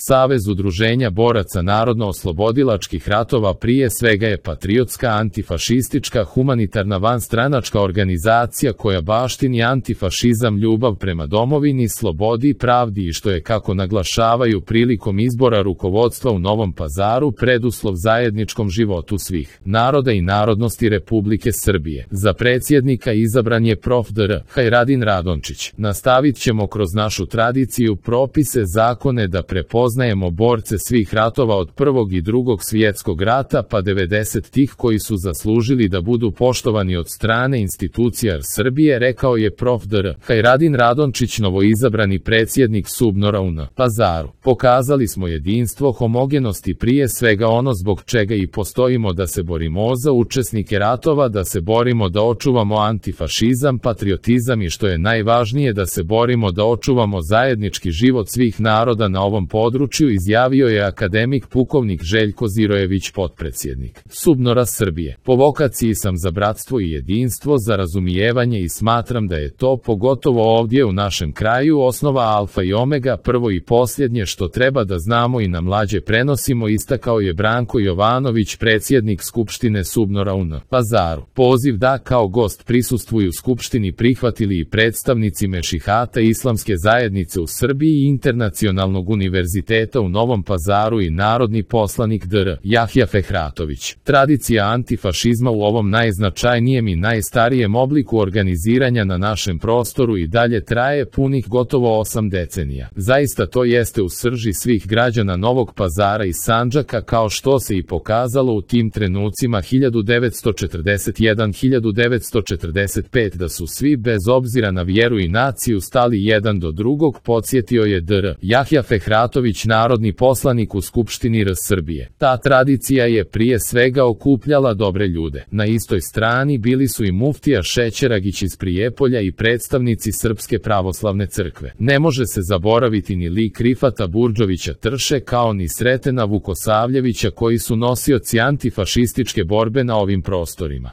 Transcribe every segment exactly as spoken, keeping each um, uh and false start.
Savez udruženja boraca narodno-oslobodilačkih ratova prije svega je patriotska, antifašistička, humanitarna, vanstranačka organizacija koja baštini antifašizam, ljubav prema domovini, slobodi i pravdi i što je, kako naglašavaju prilikom izbora rukovodstva u Novom Pazaru, preduslov zajedničkom životu svih naroda i narodnosti Republike Srbije. Za predsjednika izabran je prof. dr Hajradin Radončić. Nastavit ćemo kroz našu tradiciju, propise, zakone da prepoznajemo borce svih ratova od Prvog i Drugog svjetskog rata pa devedesetih koji su zaslužili da budu poštovani od strane institucija Srbije, rekao je prof. dr Hajradin Radončić, novoizabrani predsjednik SUBNOR-a u Pazaru. Pokazali smo jedinstvo, homogenost i prije svega ono zbog čega i postojimo, da se borimo za učesnike ratova, da se borimo da očuvamo antifašizam, patriotizam i što je najvažnije da se borimo da očuvamo zajednički život svih naroda na ovom području, izjavio je akademik pukovnik Željko Zirojević, potpredsjednik SUBNOR-a Srbije. Po vokaciji sam za bratstvo i jedinstvo, za razumijevanje i smatram da je to, pogotovo ovdje u našem kraju, osnova alfa i omega, prvo i posljednje što treba da znamo i na mlađe prenosimo, istakao je Branko Jovanović, predsjednik Skupštine SUBNOR-a u Pazaru. Poziv da kao gost prisustvuju Skupštini prihvatili i predstavnici Mešihata Islamske zajednice u Srbiji i Internacionalnog univerziteta u Novom Pazaru i narodni poslanik dr Jahja Fehratović. Tradicija antifašizma u ovom najznačajnijem i najstarijem obliku organiziranja na našem prostoru i dalje traje punih gotovo osam decenija. Zaista to jeste u srži svih građana Novog Pazara i Sandžaka, kao što se i pokazalo u tim trenucima hiljadu devetsto četrdeset jedan do hiljadu devetsto četrdeset pete da su svi bez obzira na vjeru i naciju stali jedan do drugog, podsjetio je dr Jahja Fehratović, narodni poslanik u Skupštini R Srbije. Ta tradicija je prije svega okupljala dobre ljude. Na istoj strani bili su i muftija Šećeragić iz Prijepolja i predstavnici Srpske pravoslavne crkve. Ne može se zaboraviti ni lik Rifata Burdžovića Trše, kao ni Sretena Vukosavljevića, koji su nosioci antifašističke borbe na ovim prostorima.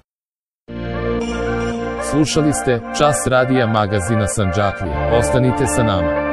Slušali ste Čas radija magazina Sandžaklija. Ostanite sa nama.